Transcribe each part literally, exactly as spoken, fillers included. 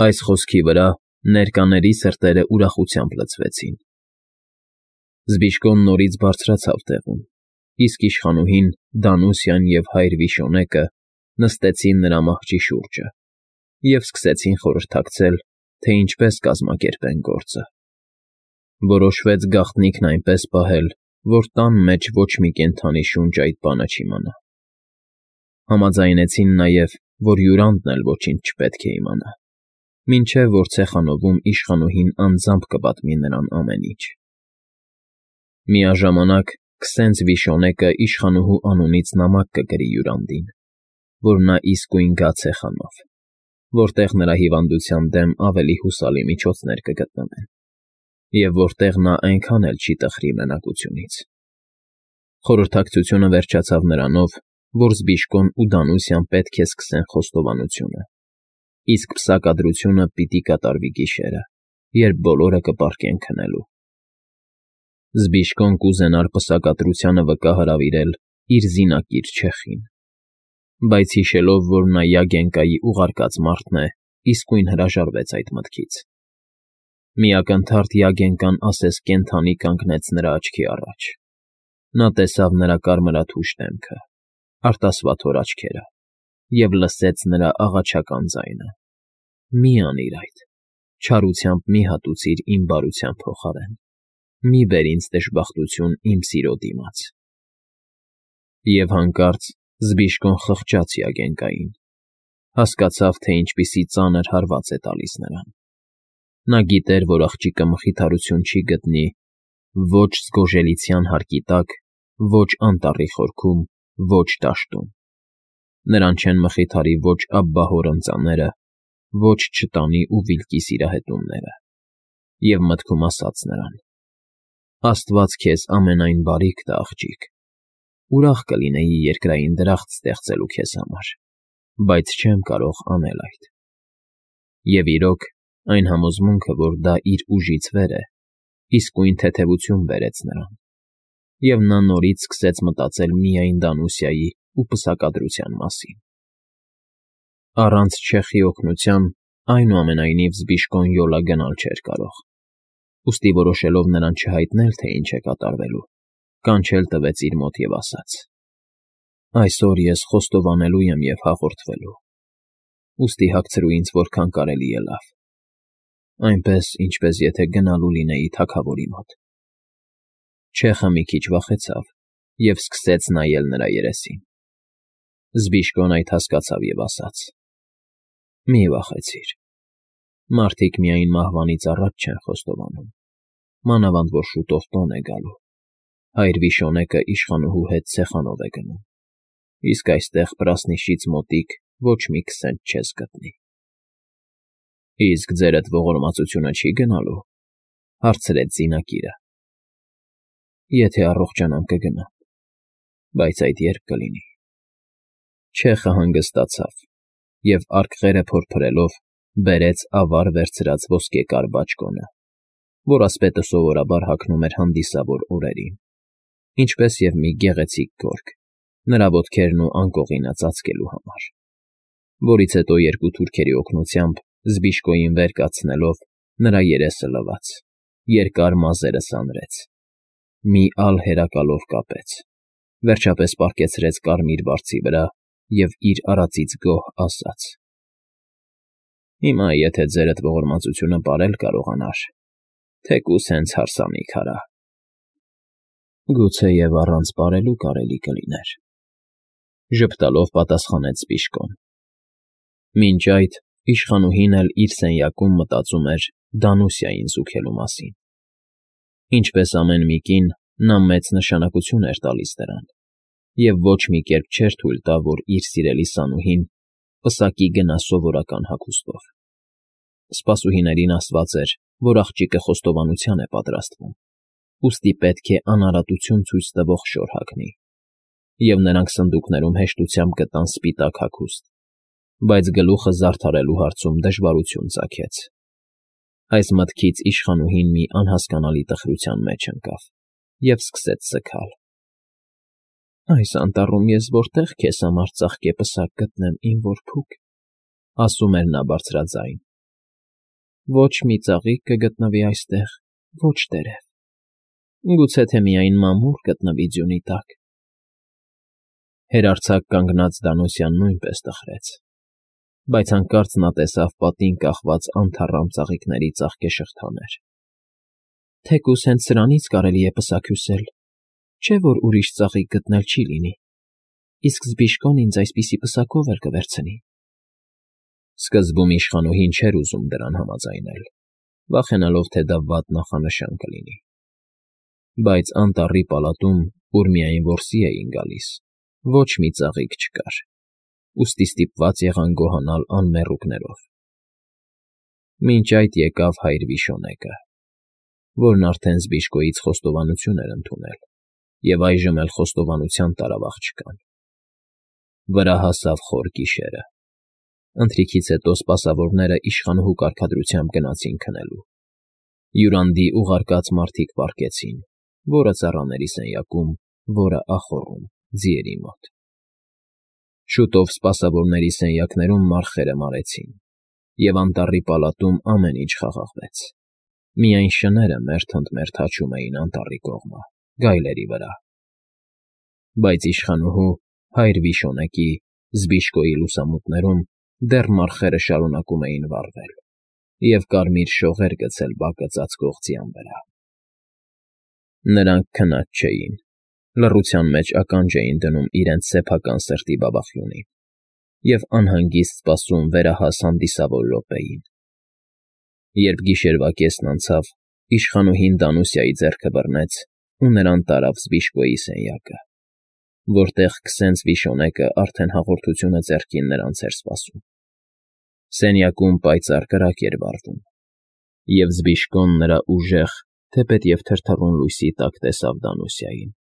Այս խոսքի վրա ներկաների սրտերը ուրախությամբ լցվեցին։ Զբիշկոն նորից բարձրացավ տեղում, իսկ իշխանուհին, Դանուսյան և հայր Վիշոնեկը նստեցին նրա մահճի շուրջը և սկսեցին խորհրդակցել, թե ինչպես կազմակերպեն գործը։ Որոշվեց գաղտնիքն այնպես պահել, որ տան մեջ ոչ մի կենդանի շունչ այդ բանը չիմանա։ Համաձայնեցին նաև, որ հյուրանդն էլ ոչինչ չպետք է իմանա, մինչև որ ցեխանովում իշխանուհին անձամբ կպատմի նրան ամեն ինչ։ Միաժամանակ քսենց Վիշոնեկը իշխանուհու անունից նամակ կգրի հյուրանդին, որ նա իսկույն գա ցեխանով, որտեղ նրա հիվանդության դեմ ավելի հուսալի միջոցներ կգտնվեն, և որտեղ նա այնքան էլ չի տխրի մենակությունից։ Խորհրդակցությունը վերջացավ նրանով, որ Զբիշկոն ու Դանուսյան պետք է սկսեն խոստովանությունը, իսկ պսակադրությունը պիտի կատարվի գիշերը, երբ բոլորը կպառկեն քնելու։ Զբիշկոն կուզենար պսակադրությանը վկա հրավիրել իր զինակիր չեխին, բայց հիշելով, որ նա Յագենկայի ուղարկած մարդն է, իսկույն հրաժարվեց այդ մտքից։ Մի ակնթարթ Յագենկան ասես կենդանի կանգնեց նրա աչքի առաջ։ Նա տեսավ նրա կարմրաթուշ դեմքը, արտասվաթոր աչքերը և լսեց նրա աղաչական ձայնը. «Մի անիր այդ, չարությամբ մի հատուցիր իմ բարության փոխարեն, մի բեր ինձ դժբախտություն իմ սիրո դիմաց»։ Եվ հանկարծ Զբիշկոն խղճաց Յագենկային, հասկացավ, թե ինչպիսի ծանր հարված է տալիս նրան։ Նա գիտեր, որ աղջիկը մխիթարություն չի գտնի ոչ զգոժելիցյան հարկի տակ, ոչ անտառի խորքում, ոչ դաշտում։ Նրան չեն մխիթարի ոչ աբբահոր ընծաները, ոչ չտանի ու վիլկի սիրահետումները։ Եվ մտքում ասաց նրան. «Աստված քեզ ամենայն բարիք տա, աղջիկ, ուրախ կլինեի երկրային դրախտ ստեղծելու քեզ համար, բայց չեմ կարող անել այդ»։ Եվ իրոք, այն համոզմունքը, որ դա իր ուժից վեր է, իսկույն թեթևություն բերեց նրան, և նա նորից սկսեց մտածել միայն Դանուսյայի ու պսակադրության մասին։ Առանց չեխի օգնության, այնուամենայնիվ, Զբիշկոն յոլա գնալ չէր կարող, ուստի որոշելով նրան չհայտնել, թե ինչ է կատարվելու, կանչել տվեց իր մոտ և ասաց. «Այսօր ես խոստովանելու եմ և հաղորդվելու, ուստի հագցրու ինձ որքան կարելի է լավ, այնպես, ինչպես եթե գնալու լինեի թագավորի մոտ»։ Չեխը մի քիչ վախեցավ և սկսեց նայել նրա երեսին։ Զբիշկոն այդ հասկացավ և ասաց. «Մի վախեցիր, մարդիկ միայն մահվանից առաջ չեն խոստովանում, մանավանդ որ շուտով տոն է գալու, հայր Վիշոնեկը իշխանուհու հետ ցեխանով է գնում, իսկ այստեղ Պրասնիշից մոտիկ ոչ մի քսենք չես գտնի»։ «Իսկ ձերդ ողորմածությունը չի գնալու»։ Հարցրեց զինակիրը։ «Եթե առողջանամ կգնամ, բայց այդ ե՞րբ կլինի»։ Չեխը հանգստացավ և արկղերը փորփրելով բերեց ավար վերցրած ոսկեկար բաճկոնը, որ ասպետը սովորաբար հագնում էր հանդիսավոր օրերին, ինչպես և մի գեղեցիկ գորգ, նրա ոտքերն ու անկողինը ծածկելու համար, որից հետո երկու թուրքերի օգնությամբ Զբիշկոյին վեր կացնելով նրա երեսը լվաց, երկար մազերը սանրեց, մի ալ հերակալով կապեց, վերջապես պառկեցրեց կարմիր բարձի վրա և իր արածից գոհ ասաց. «Հիմա եթե ձերդ ողորմածությունը պարել կարողանար, թեկուզ հենց հարսանիք արա»։ «Գուցեև առանց պարելու կարելի կլիներ», ժպտալով պատասխանեց Զբիշկոն։ Մինչ այդ իշխանուհին էլ իր սենյակում մտածում էր Դանուսյային զուգելու մասին։ Ինչպես ամեն մի կին, նա մեծ նշանակություն էր տալիս դրան և ոչ մի կերպ չէր թույլ տա, որ իր սիրելի Սանուհին պսակի գնա սովորական հագուստով։ Սպասուհիներին ասված էր, որ աղջիկը խոստովանության է պատրաստվում, ուստի պետք է անարատություն ցույց տվող շոր հագնի, և նրանք սնդուկներում հեշտությամբ գտան սպիտակ հագուստ, բայց գլուխը զարդարելու հարցում դժվարություն ծագեց։ Այս մտքից իշխանուհին մի անհասկանալի տխրության մեջ ընկավ և սկսեց սգալ։ «Այս անտառում ես որտե՞ղ քեզ համար ծաղկե պսակ գտնեմ, իմ որբուք», ասում էր նա բարձրաձայն, Ոչ մի ծաղիկ կգտնվի այստեղ, ոչ տերև, գուցե թե միայն մամուռ գտնվի ձյունի տակ… Հեռարձակ կանգնած Դանուսյան նույնպես տխրեց, բայց հանկարծ նա տեսավ պատին կախված անթառամ ծաղիկների ծաղկե շղթաներ. թեկուզ հենց սրանից կարելի է պսակ հյուսել, չէ՞ որ ուրիշ ծաղիկ գտնել չի լինի, իսկ Զբիշկոն ինձ այսպիսի պսակով էլ կվերցնի… Սկզբում իշխանուհին չէր ուզում դրան համաձայնել, վախենալով, թե դա վատ նախանշան կլինի, բայց անտառի պալատում, ուր միայն որսի էին գալիս, ոչ մի ծաղիկ չկար, ուստի ստիպված եղան գոհանալ անմեռուկներով… Մինչ այդ եկավ հայր Վիշոնեկը, որն արդեն Զբիշկոյից խոստովանություն էր ընդունել և այժմ էլ խոստովանության տարավ աղջկան… Վրա հասավ խոր գիշերը, ընթրիքից հետո սպասավորները իշխանուհու կարգադրությամբ գնացին քնելու, յուրանդի ուղարկած մարդիկ պառկեցին, որը ծառաների սենյակում, որը ախոռում, ձիերի մոտ… Շուտով սպասավորների սենյակներում մառխերը մարեցին, և անտառի պալատում ամեն ինչ խաղաղվեց, միայն շները մերթ ընդ մերթ հաչում էին անտառի կողմը, գայլերի վրա… Բայց իշխանուհու, հայր Վիշոնեկի, Զբիշկոյի լուսամուտներում դեռ մառխերը շարունակում էին վառվել և կարմիր շողեր գցել բակը ծածկող ձյան վրա… Նրանք քնած չէին, լռության մեջ ականջ էին դնում իրենց սեփական սրտի բաբախյունին և անհանգիստ սպասում վերահաս հանդիսավոր րոպեին… Երբ գիշերվա կեսն անցավ, իշխանուհին Դանուսիայի ձեռքը բռնեց ու նրան տարավ Զբիշկոյի սենյակը, որտեղ քսենց Վիշոնեկը արդեն հաղորդությունը ձեռքին նրանց էր սպասում… Սենյակում պայծառ կրակ էր վառվում, և Զբիշկոն նրա ուժեղ, թեպետև թրթռուն լույսի տակ տեսավ Դանուսիային,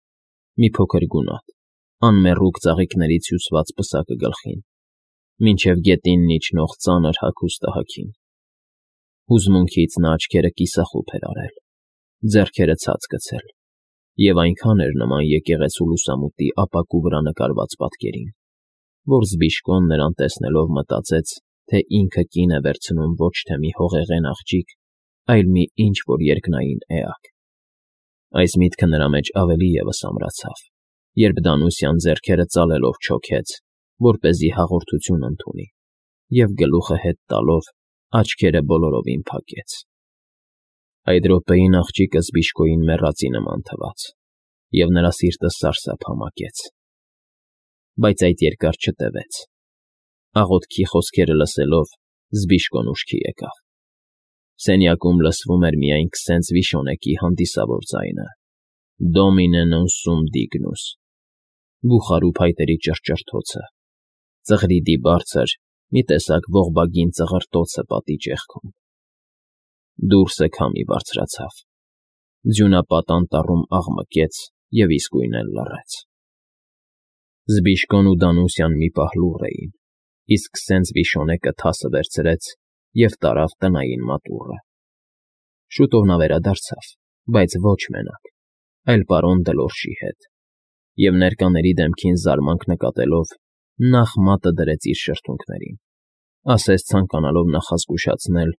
մի փոքր գունատ, անմեռուկ ծաղիկներից հյուսված պսակը գլխին, մինչև գետինն իջնող ծանր հագուստը հագին… Հուզմունքից նա աչքերը կիսախուփ էր արել, ձեռքերը ցած գցել և այնքան էր նման եկեղեցու լուսամուտի ապակու վրա նկարված պատկերին, որ Զբիշկոն նրան տեսնելով մտածեց, թե ինքը կին է վերցնում ոչ թե մի հողեղեն աղջիկ, այլ մի ինչ֊որ երկնային էակ… Այս միտքը նրա մեջ ավելի ևս ամրացավ, երբ Դանուսյան ձեռքերը ծալելով չոքեց, որպեսզի հաղորդություն ընդունի, և գլուխը հետ տալով, աչքերը բոլորովին փակեց… Այդ րոպեին աղջիկը Զբիշկոյին մեռածի նման թվաց, և նրա սիրտը սարսափ համակեց… Բայց այդ երկար չտևեց… Աղոթքի խոսքերը լսելով, Զբիշկոն ուշքի եկավ… Սենյակում լսվում էր միայն քսենց Վիշոնեկի հանդիսավոր ձայնը. «Դոմինե նոն սում դիգնուս», բուխարու փայտերի ճռճռթոցը, ծղրիդի բարձր, մի տեսակ ողբագին ծղրտոցը պատի ճեղքում… Դուրսը քամի բարձրացավ, ձյունապատ անտառում աղմկեց և իսկույն էլ լռեց… Զբիշկոն ու Դանուսյան մի պահ լուռ էին, իսկ քսենց Վիշոնեկը թասը վերցրեց և տարավ տնային մատուռը… Շուտով նա վերադարձավ, բայց ոչ մենակ, այլ պարոն Դլորշի հետ, և ներկաների դեմքին զարմանք նկատելով, նախ մատը դրեց իր շրթունքներին, ասես ցանկանալով նախազգուշացնել,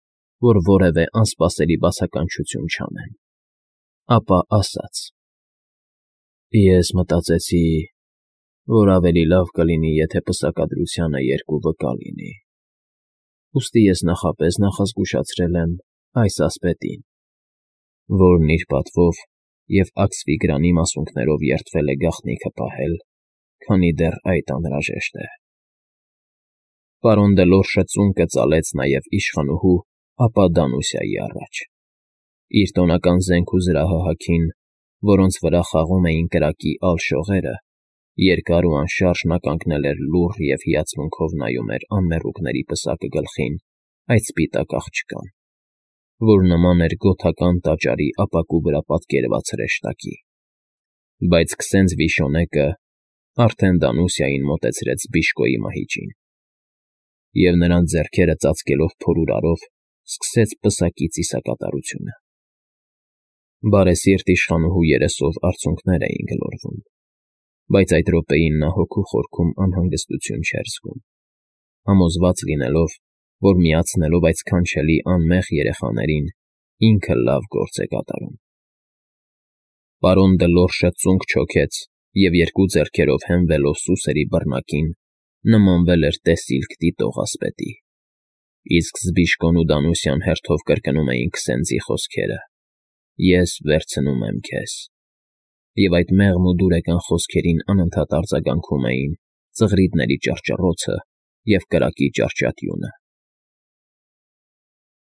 որ որևէ անսպասելի բացականչություն չանեն, ապա ասաց. «Ես մտածեցի, որ ավելի լավ կլինի, եթե պսակադրությանը երկու վկա լինի, ուստի ես նախապես նախազգուշացրել եմ այս ասպետին, որն իր պատվով և աքսֆիգրանի մասունքներով երդվել է գաղտնիքը պահել, քանի դեռ այդ անհրաժեշտ է»… Պարոն Դլորշը ծունկը ծալեց նաև իշխանուհու, ապա Դանուսիայի առաջ, իր տոնական զենք ու զրահը հագին, որոնց վրա խաղում էին կրակի ալ շողերը, երկար ու անշարժ նա կանգնել էր լուռ և հիացմունքով նայում էր անմեռուկների պսակը գլխին այդ սպիտակ աղջկան, որ նման էր գոթական տաճարի ապակու վրա պատկերված հրեշտակի… Բայց քսենց Վիշոնեկը արդեն Դանուսիային մոտեցրեց Զբիշկոյի մահիճին և նրան ձեռքերը ծածկելով փորուրարով, սկսեց պսակի ծիսակատարությունը… Բարեսիրտ իշխանուհու երեսով արցունքներ էին գլորվում, բայց այդ րոպեին նա հոգու խորքում անհանգստություն չէր զգում, համոզված լինելով, որ միացնելով այդ սքանչելի անմեղ երեխաներին, ինքը լավ գործ է կատարում։ Պարոն Դլորշը ծունկ չոքեց և երկու ձեռքերով հենվելով սուսերի բռնակին, նմանվել էր տեսիլք դիտող ասպետի, իսկ Զբիշկոն ու Դանուսյան հերթով կրկնում էին քսենձի խոսքերը. «Ես վերցնում եմ քեզ», և այդ մեղմ ու դուրեկան խոսքերին անընդհատ արձագանքում էին ծղրիդների ճռճռոցը և կրակի ճարճատյունը։